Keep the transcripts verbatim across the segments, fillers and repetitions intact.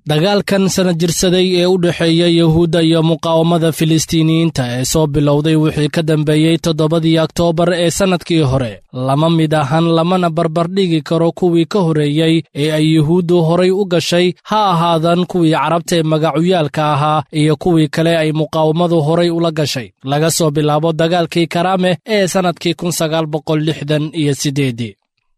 Dagaalkan sana jirsaday ee u dhexeeya Yahuudda iyo muqaawamada Filistiiniyiinta ee soo bilowday wixii ka dambeeyey toddobadii Oktoobar ee sannadkii hore lama mid ahan, lamana barbardhigi karo kuwii ka horreeyey ee ay Yuhuuddu horay u gashay, ha ahaadan kuwii Carabta ee magacuyaalka ahaa iyo kuwii kale ay muqaawamadu horay ula gashay, laga soo bilaabo dagaalkii Karaame ee sannadkii kun sagaal boqol lixdan iyo siddeedii.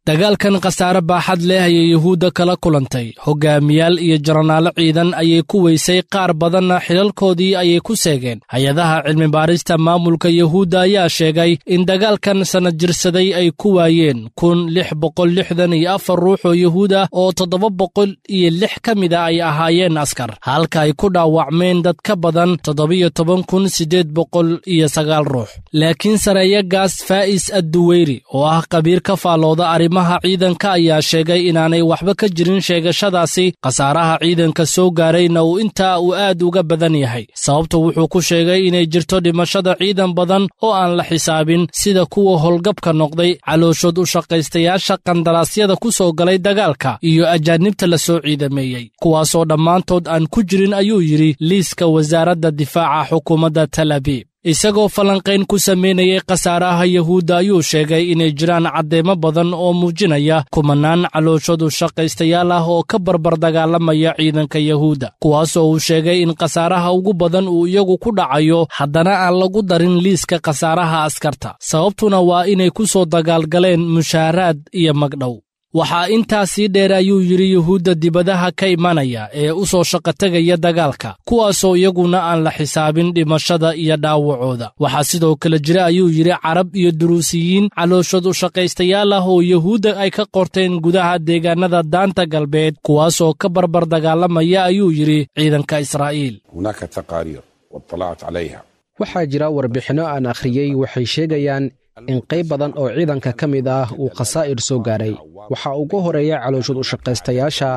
Dagaalkan khasaare baaxad leh ayay Yuhuudda kala kulantay. Hogaamiyaal iyo jaranaalo ciidan ayay ku weysay, qaar badanna xilalkoodii ayay ku seegeen. Hay-adaha cilmibaarista maamulka Yuhuudda ayaa sheegay in dagaalkan sanad jirsaday ay ku waayeen kun lix boqol lixdan iyo afar ruux oo Yuhuud ah, oo toddoba boqol iyo lix ka mid a ay ahaayeen askar, halka ay ku dhaawacmeen dad ka badan toddobiyo toban kun siddeed boqol iyo sagaal ruux. Laakiin sareeyagaas Faa'is Adduweyri oo ah khabiir ka faallooda arrimaha ciidanka ayaa sheegay inaanay waxba ka jirin sheegashadaasi, khasaaraha ciidanka soo gaarayna uu intaa uu aad uga badan yahay. Sababtu wuxuu ku sheegay inay jirto dhimashada ciidan badan oo aan la xisaabin, sida kuwa howlgabka noqday, calooshood u shaqaystayaasha qandaraasyada ku soo galay dagaalka iyo ajaanibta la soo ciidameeyey, kuwaasoo dhammaantood aan ku jirin, ayuu yidhi, liiska wasaaradda difaaca xukuumadda Tel Abiib. Isagoo falanqayn ku samaynayay khasaaraha Yahuudda ayuu sheegay inay jiraan caddeemo badan oo muujinaya kumanaan calooshadu shaqaystayaal ah oo ka barbar dagaalamaya ciidanka Yahuudda, kuwaasoo uu sheegay in khasaaraha ugu badan uu iyagu ku dhacayo, haddana aan lagu darin liiska khasaaraha askarta, sababtuna waa inay ku soo dagaalgaleen mushaaraad iyo magdhow. Waxaa intaa sii dheer, ayuu yidhi, Yuhuudda dibadaha ka imanaya ee u soo shaqotegaya dagaalka, kuwaasoo iyaguna aan la xisaabin dhimashada iyo dhaawacooda. Waxaa sidoo kale jira, ayuu yidhi, Carab iyo Duruusiyiin calooshood u shaqaystayaal ah oo Yuhuudda ay ka qorteen gudaha deegaanada Daanta Galbeed, kuwaasoo ka barbar dagaalamaya, ayuu yidhi, ciidanka Israa'iil. هناك تقارير واطلعت عليها. Waxaa jira warbixinno aan akhriyey, waxay sheegayaan in qayb badan oo ciidanka ka mid ah uu khasaa'ir soo gaaray. Waxaa ugu horeeya calooshood u shaqaystayaasha.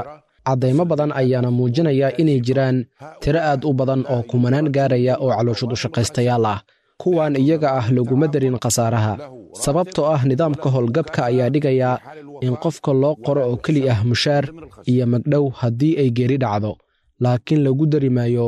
Caddaymo badan ayaana muujinaya inay jiraan tiro aad u badan oo kumanaan gaaraya oo calooshood u shaqaystayaal ah. Kuwan iyaga ah laguma darin khasaaraha, sababtoo ah nidaamka howlgabka ayaa dhigaya in qofka loo qoro oo keli ah mushaar iyo magdhow haddii ay geeri dhacdo, laakiin lagu dari maayo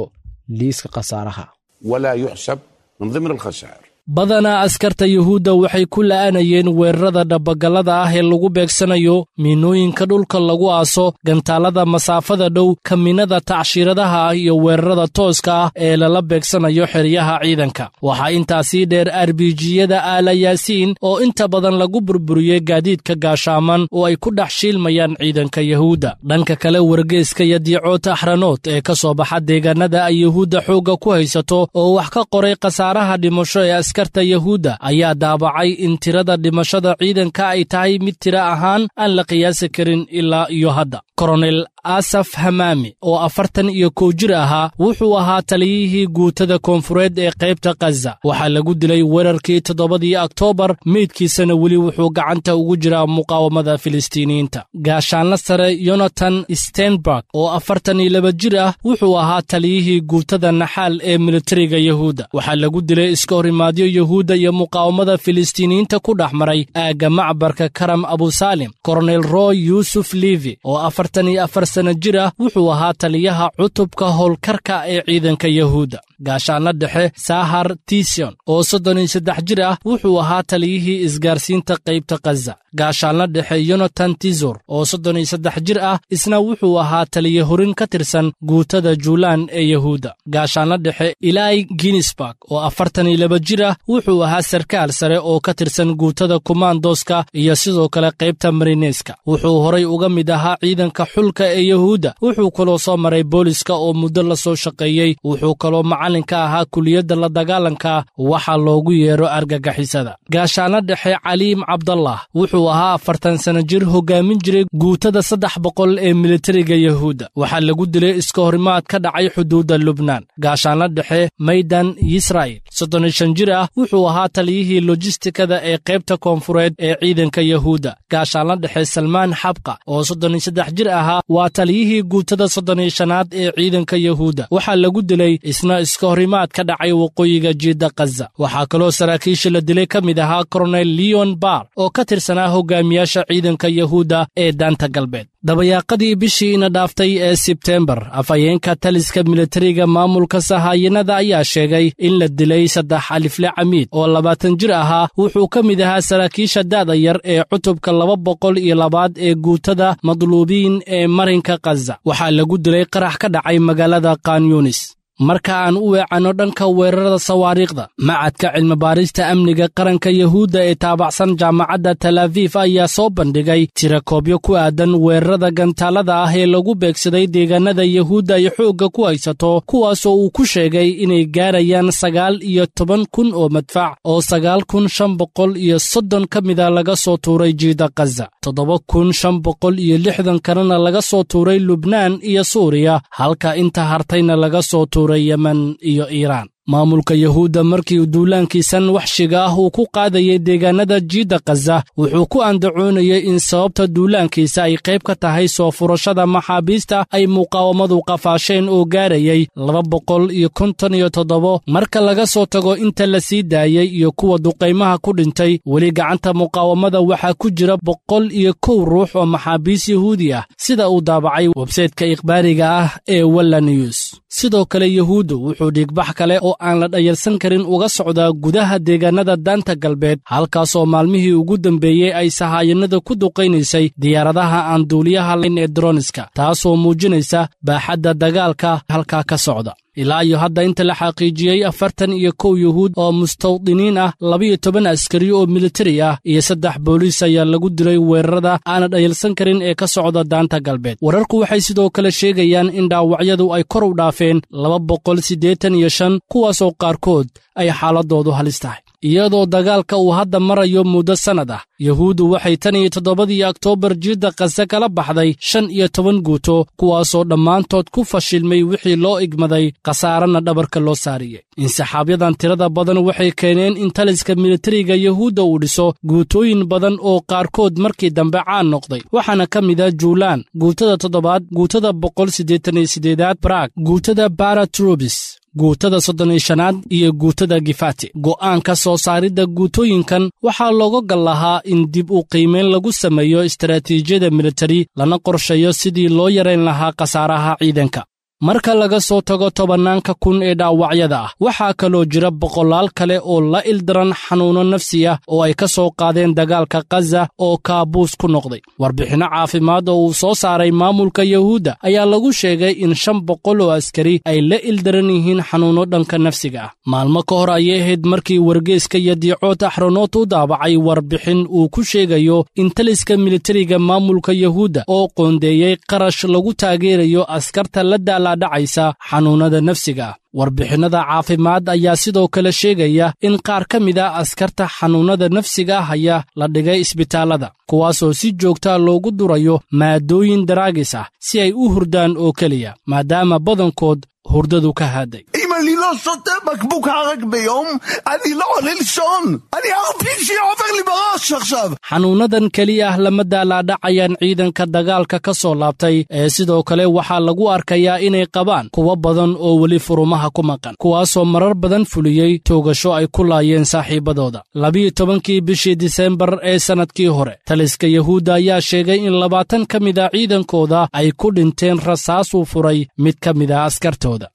liiska khasaaraha. ولا يحسب من ضمن الخسائر. Badanaa askarta Yuhuudda waxay ku la'anayeen weerarada dhabagallada ah ee lagu beegsanayo miinooyinka dhulka lagu aaso, gantaallada masaafada dhow, kaminada tacshiiradaha ah iyo weerarada tooska ah ee lala beegsanayo xeryaha ciidanka. Waxaa intaasii dheer arbijiyada Aala Yaasiin oo inta badan lagu burburiyey gaadiidka gaashaaman oo ay ku dhex shiilmayaan ciidanka Yahuudda. Dhanka kale, wargeyska Yadiicoot Axranood ee ka soo baxa deegaanada ay Yuhuudda xoogga ku haysato oo wax ka qoray khasaaraha dhimasho ee askarta Yahuudda ayaa daabacay in tirada dhimashada ciidanka ay tahay mid tiro ahaan aan la qiyaasi karin ilaa iyo hadda. Koronel Asaf Hamaami oo afartan iyo kow jir ahaa wuxuu ahaa taliyihii guutada koonfureed ee qaybta Khaza. Waxaa lagu dilay weerarkii toddobadii Oktoobar, meydkiisana weli wuxuu gacanta ugu jiraa muqaawamada Filistiiniyiinta. Gaashaanla sare Yonatan Stenberg oo afartan iyo laba jir ah wuxuu ahaa taliyihii guutada Naxaal ee militariga Yahuudda. Waxaa lagu dilay iska horimaadyo Yahuudda iyo muqaawamada Filistiiniyiinta ku dhex maray aagga macbarka Karam Abusaalim. Koronel Roy Yuusuf Livi oo afartan iyo afar sana jir ah wuxuu ahaa taliyaha cutubka howlkarka ee ciidanka Yahuudda. Gaashaanla dhexe Sahar Tision oo soddon iyo saddex jir ah wuxuu ahaa taliyihii isgaarsiinta qaybta Khaza. Gaashaanla dhexe Yonatan Tizor oo soddon iyo saddex jir ah isna wuxuu ahaa taliye horin ka tirsan guutada Juulaan ee Yahuudda. Gaashaanla dhexe Ilai Ginsburg oo afartan iyo laba jir ah wuxuu ahaa sarkaal sare oo ka tirsan guutada kumaandoska iyo sidoo kale qaybta marineska. Wuxuu horay uga mid ahaa ciidanka xulka ee Yahuudda. Wuxuu kaloo soo maray booliska oo muddo la soo shaqeeyey. Wuxuu kaloo macallin ka ahaa kuliyadda la dagaalanka waxa loogu yeero argagixisada. Gaashaanla dhexe Caliim Cabdallah wuxuu ahaa afartan sano jir hogaamin jiray guutada saddex boqol ee militariga Yahuudda. Waxaa lagu dilay iska horimaad ka dhacay xuduudda Lubnaan. Gaashaanla dhexe Maydan Yisraa'il, soddon iyo shan jir ah, wuxuu ahaa taliyihii lojistikada ee qaybta koonfureed ee ciidanka Yahuudda. Gaashaanla dhexe Salmaan Xabqa oo soddon iyo saddex jir ahaa waa taliyihii guutada soddon iyo shanaad ee ciidanka Yahuudda. Waxaa lagu dilay isna iska horimaad ka dhacay waqooyiga jiidda Khaza. Waxaa kaloo saraakiisha la dilay ka mid ahaa Koronel Leon Bar oo ka tirsanaa hogaamiyaasha ciidanka Yahuudda ee daanta galbeed. Dabayaaqadii bishii ina dhaaftay ee Sebtembar, afhayeenka taliska militariga maamulka sahaayinada ayaa sheegay in la dilay saddex alifle camiid oo labaatan jir ahaa. Wuxuu ka mid ahaa saraakiisha da'da yar ee cutubka laba boqol iyo labaad ee guutada madluubiin ee marinka Khaza. Waxaa lagu dilay qarax ka dhacay magaalada Khan Yunis. Marka aan u weecanno dhanka weerarada sawaariikhda, macadka cilmibaarista amniga qaranka Yahuudda ee taabacsan jaamacadda Tel Aviv ayaa soo bandhigay tirakoobyo ku aadan weerarada gantaalada ah ee lagu beegsaday deegaanada Yahuudda ay xoogga ku haysato, kuwaasoo uu ku sheegay inay gaarayaan sagaal iyo toban kun oo madfac oo sagaal kun shan boqol iyo soddon ka mida laga soo tuuray jiida Khaza, toddoba kun shan boqol iyo lixdan kalena laga soo tuuray Lubnaan iyo Suuriya, halka inta hartayna laga soo tuuray Yemen iyo Iiraan. Maamulka Yahuudda markii duulaankiisan waxshiga ah uu ku qaadayay deegaanada jiidda Khaza, wuxuu ku andacoonayay in sababta duulaankiisa ay qayb ka tahay soo furashada maxaabiista ay muqaawamadu qafaasheen oo gaarayay laba boqol iyo konton iyo toddobo marka laga soo tago inta la sii daayey iyo kuwa duqaymaha ku dhintay. Weli gacanta muqaawamada waxaa ku jira boqol iyo kow ruux oo maxaabiis Yahuudi ah, sida uu daabacay websaytka ikhbaariga ah ee Walla News. Sidoo kale Yahuuddu wuxuu dhiigbax kale oo aan la dhayalsan karin uga socdaa gudaha deegaanada daanta galbeed, halkaasoo maalmihii ugu dambeeyey ay sahaayanada ku duqaynaysay diyaaradaha aan duuliyaha lahayn ee droniska, taasoo muujinaysa baaxadda dagaalka halkaa ka socda. Ilaa iyo hadda inta la xaqiijiyey afartan iyo kow Yuhuud oo mustawdiniin ah, labiyo toban askari oo militari ah iyo saddex booliis ayaa lagu dilay weerarada aana dhayalsan karin ee ka socda daanta galbeed. Wararku waxay sidoo kale sheegayaan in dhaawacyadu ay kor u dhaafeen laba boqol siddeetan iyo shan, kuwaasoo qaarkood ay xaaladoodu halis tahay. Iyadoo dagaalka uu hadda marayo muddo sannad ah, Yahuuddu waxay tan iyo toddobadii Oktoobar jiidda Khaza kala baxday shan iyo toban guuto, kuwaasoo dhammaantood ku fashilmay wixii loo igmaday, khasaarana dhabarka loo saariyey. Insaxaabyadan tirada badan waxay keeneen in taliska militariga Yahuudda uu dhiso guutooyin badan oo qaarkood markii dambe caan noqday, waxaana ka mid ah Juulaan, guutada toddobaad, guutada boqol siddeetan iyo siddeedaad Brag, guutada Baratrubis, guutada soddon iyo shanaad iyo guutada Gifati. Go'aanka soo saaridda guutooyinkan waxaa looga gal lahaa in dib u qiimeyn lagu sameeyo istaraatiijiyada militari, lana qorsheeyo sidii loo yarayn lahaa khasaaraha ciidanka. Marka laga soo tago tobannaanka kun ee dhaawacyada ah, waxaa kaloo jira boqolaal kale oo la ildaran xanuuno nafsi ah oo ay ka soo qaadeen dagaalka Khaza oo kaabuus ku noqday. Warbixinno caafimaad oo uu soo saaray maamulka Yahuudda ayaa lagu sheegay in shan boqol oo askari ay la ildaran yihiin xanuuno dhanka nafsiga ah. Maalmo ka hor ayay ahayd markii wargeyska Yadiicood Axronoot u daabacay warbixin uu ku sheegayo in taliska militariga maamulka Yahuudda oo qoondeeyey qarash lagu taageerayo askarta la daala dhacaysa xanuunada nafsiga ah. Warbixinnada caafimaad ayaa sidoo kale sheegaya in qaar ka mid ah askarta xanuunada nafsiga ah ayaa la dhigay isbitaallada, kuwaasoo si joogta loogu durayo maadooyin daraagis ah si ay u hurdaan oo keliya, maadaama badankood hurdadu ka haaday. אם אני לא שותה בקבוק ערק ביום, אני לא עולה לישון! אני אר פי ג'י עובר לי בראש עכשיו! Xanuunadan keliya ah lama daalaadhacayaan ciidanka dagaalka ka soo laabtay, ee sidoo kale waxaa lagu arkayaa inay qabaan kuwo badan oo weli furumaha ku maqan, kuwaasoo marar badan fuliyey toogasho ay ku laayeen saaxiibadooda. Labiyo tobankii bishii Disembar ee sannadkii hore, taliska Yahuudda ayaa sheegay in labaatan ka mid a ciidankooda ay ku dhinteen rasaasuu furay mid ka mid ah askartooda.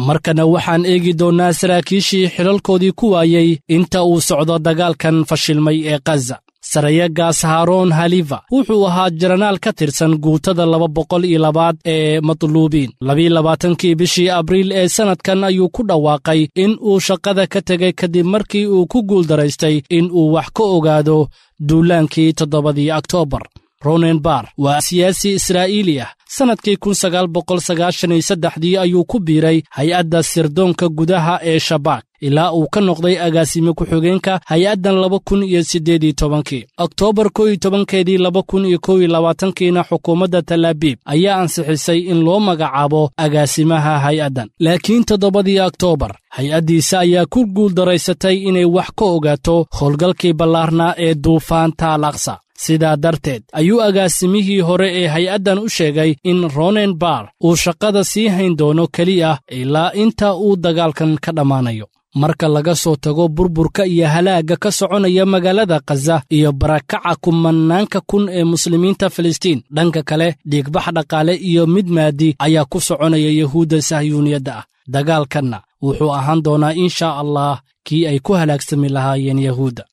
Markana waxaan eegi doonnaa saraakiishii xilalkoodii ku waayey inta uu socdo dagaalkan fashilmay ee Khaza. Sarayagaas Haroon Halifa wuxuu ahaa jaranaal ka tirsan guutada laba boqol iyo labaad ee matluubiin. Labiyo labaatankii bishii Abriil ee sannadkan ayuu ku dhawaaqay in uu shaqada ka tegay kadib markii uu ku guuldaraystay in uu wax ka ogaado duulaankii toddobadii Oktoobar. Ronen Bar waa siyaasi Israa'iili ah. Sannadkii kun sagaal boqol sagaashan iyo saddexdii ayuu ku biiray hay-adda sirdoonka gudaha ee Shabaak ilaa uu ka noqday agaasime ku-xigeenka hay-addan laba kun iyo siddeed iyo tobankii. Oktoobar kow iyo tobankeedii laba kun iyo kow iyo labaatankiina xukuumadda Talaabiib ayaa ansixisay in loo magacaabo agaasimaha hay-addan. Laakiin toddobadii Oktoobar hay-addiisa ayaa ku guuldaraysatay inay wax ka ogaato howlgalkii ballaarnaa ee duufaanta Al Aqsa. Sidaa darteed ayuu agaasimihii hore ee hay-addan u sheegay in Ronen Bar uu shaqada sii hayn doono keliya ilaa inta uu dagaalkan ka dhammaanayo. Marka laga soo tago burburka iyo halaagga ka soconaya magaalada Khaza iyo barakaca kumanaanka kun ee muslimiinta Filistiin, dhanka kale dhiigbax dhaqaale iyo mid maadi ayaa ku soconaya Yahuudda sahyuuniyadda ah. Dagaalkanna wuxuu ahaan doonaa inshaa Allah kii ay ku halaagsami lahaayeen Yahuudda.